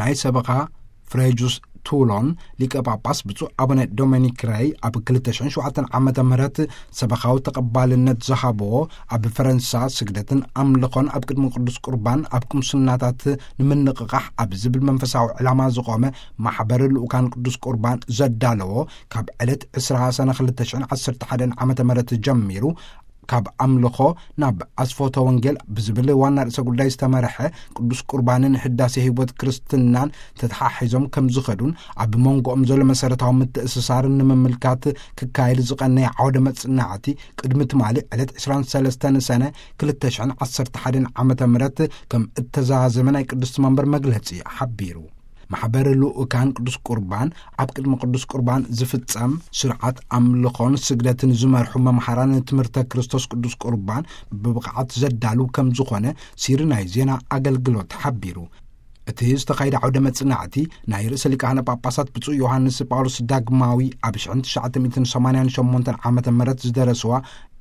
ናይ ሰበኻ ፍሬጁስ ቱሎን ሊቀ ጳጳስ ብፁዕ ኣቡነ ዶሚኒክ ሬይ ኣብ ክልተ ሽሕን ሸውዓተን ዓመተ ምህረት ሰበኻዊ ተቐባልነት ዝሃብዎ ኣብ ፈረንሳ ስግደትን ኣምልኾን ኣብ ቅድሚ ቅዱስ ቁርባን ኣብ ቅምስናታት ንምንቕቓሕ ኣብ ዝብል መንፈሳዊ ዕላማ ዝቖመ ማሕበር ልኡካን ቅዱስ ቁርባን ዘዳለዎ ካብ ዕለት ዕስራ ሰነ ክልተ ሽሕን ዓሰርተ ሓደን ዓመተ ምህረት ጀሚሩ ካብ ኣምልኾ ናብ ኣስፎተ ወንጌል ብዝብል ዋና ርእሰ ጉዳይ ዝተመርሐ ቅዱስ ቁርባንን ህዳሴ ህይወት ክርስትናን ተተሓሒዞም ከም ዝኸዱን ኣብ መንጎኦም ዘሎ መሰረታዊ ምትእስሳርን ንምምልካት ክካየድ ዝቐነየ ዓውደ መጽናዕቲ ቅድሚ ትማሊ ዕለት ዕስራን ሰለስተን ሰነ ክልተ ሽሕን ዓሰርተ ሓደን ዓመተ ምህረት ከም እተዛዘመ ናይ ቅድስቲ መንበር መግለጺ ሓቢሩ። ማሕበር ልኡካን ቅዱስ ቁርባን ኣብ ቅድሚ ቅዱስ ቁርባን ዝፍጸም ስርዓት ኣምልኾን ስግደትን ዝመርሑ መምሃራን ትምህርተ ክርስቶስ ቅዱስ ቁርባን ብብቕዓት ዘዳሉ ከም ዝኾነ ሲሪ ናይ ዜና ኣገልግሎት ሓቢሩ። እቲ ዝተኻየደ ዓውደ መጽናዕቲ ናይ ርእሰ ሊቃነ ጳጳሳት ብፁዕ ዮሃንስ ጳውሎስ ዳግማዊ ኣብ ሽሕን ትሽዓተ ሚእትን ሰማንያን ሸሞንተን ዓመተ ምህረት ዝደረስዋ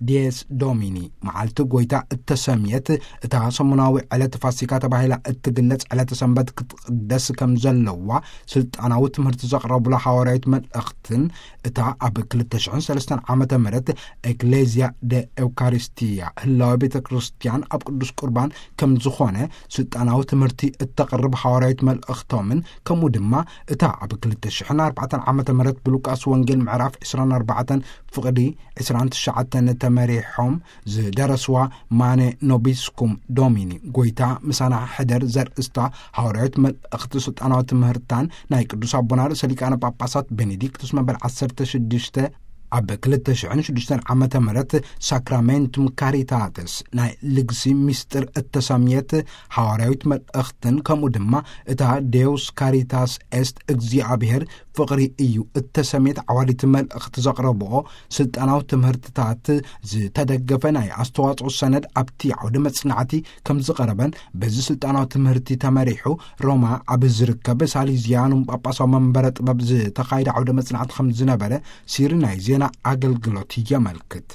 ዲየስ ዶሚኒ መዓልቲ ጎይታ እተሰምየት እታ ሰሙናዊ ዕለት ፋሲካ ተባሂላ እትግለጽ ዕለተ ሰንበት ክትቕደስ ከም ዘለዋ ስልጣናዊ ትምህርቲ ዘቕረቡላ ሃዋርያዊት መልእኽትን እታ ኣብ ክልተ ሽሕን ሰለስተን ዓመተ ምህረት ኤክሌዝያ ደ ኤውካሪስቲያ ህላዊ ቤተ ክርስቲያን ኣብ ቅዱስ ቁርባን ከም ዝኾነ ስልጣናዊ ትምህርቲ እተቕርብ ሃዋርያዊት መልእኽቶምን ከምኡ ድማ እታ ኣብ ክልተ ሽሕን ኣርባዕተን ዓመተ ምህረት ብሉቃስ ወንጌል ምዕራፍ ዕስራን ኣርባዕተን ፍቕዲ ዕስራን ትሽዓተን ተመሪሖም ዝደረስዋ ማነ ኖቢስኩም ዶሚኒ ጎይታ ምሳና ሕደር ዘርእስታ ሃዋርያዊት መልእኽቲ ስልጣናዊ ትምህርታን ናይ ቅዱስ ኣቦና ርእሰ ሊቃነ ጳጳሳት ቤኔዲክቱስ መበል ዓሰርተ ሽዱሽተ ኣብ ክልተ ሽሕን ሽዱሽተን ዓመተ ምህረት ሳክራሜንቱም ካሪታተስ ናይ ልግሲ ሚስጥር እተሰምየት ሃዋርያዊት መልእኽትን ከምኡ ድማ እታ ዴውስ ካሪታስ ኤስት እግዚኣብሔር ፍቕሪ እዩ እተሰምየት ዓዋዲት መልእኽቲ ዘቕረብኦ ስልጣናዊ ትምህርትታት ዝተደገፈ ናይ ኣስተዋጽኦ ሰነድ ኣብቲ ዓውደ መጽናዕቲ ከም ዝቐረበን በዚ ስልጣናዊ ትምህርቲ ተመሪሑ ሮማ ኣብ ዝርከብ ሳሊዝያኑም ጳጳሳዊ መንበረ ጥበብ ዝተኻየደ ዓውደ መጽናዕቲ ከም ዝነበረ ሲሪ ናይ ዜና ኣገልግሎት የመልክት።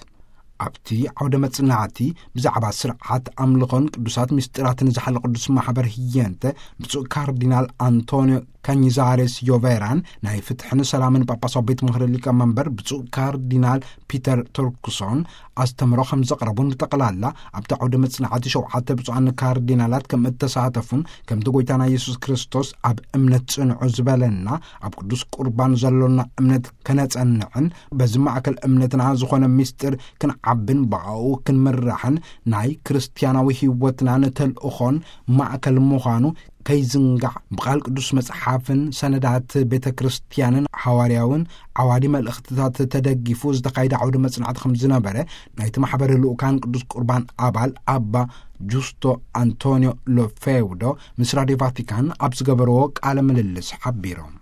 ኣብቲ ዓውደ መጽናዕቲ ብዛዕባ ስርዓት ኣምልኾን ቅዱሳት ምስጢራትን ዝሓለ ቅዱስ ማሕበር ህየንተ ብፁዕ ካርዲናል ኣንቶኒዮ ካኝዛሬስ ዮቬራን ናይ ፍትሕን ሰላምን ጳጳሳዊ ቤት ምኽሪ ሊቀ መንበር ብፁዕ ካርዲናል ፒተር ቱርክሶን ኣስተምሮ ከም ዘቕረቡን ብጠቕላላ ኣብቲ ዓውደ መጽናዕቲ ሸውዓተ ብፁዓን ካርዲናላት ከም እተሳተፉን ከምቲ ጎይታና የሱስ ክርስቶስ ኣብ እምነት ጽንዑ ዝበለና ኣብ ቅዱስ ቁርባን ዘሎና እምነት ከነጸንዕን በዚ ማእከል እምነትና ዝኾነ ምስጢር ክንዓብን ብኣኡ ክንምራሕን ናይ ክርስትያናዊ ህይወትናን ተልእኾን ማእከል ምዃኑ ከይዝንጋዕ ብቓል ቅዱስ መጽሓፍን ሰነዳት ቤተ ክርስትያንን ሓዋርያውን ዓዋዲ መልእኽትታት ተደጊፉ ዝተኻየደ ዓውዲ መጽናዕቲ ከም ዝነበረ ናይቲ ማሕበረ ልኡካን ቅዱስ ቁርባን ኣባል ኣባ ጁስቶ ኣንቶኒዮ ሎፌውዶ ምስ ራድዮ ቫቲካን ኣብ ዝገበርዎ ቃለ ምልልስ ሓቢሮም።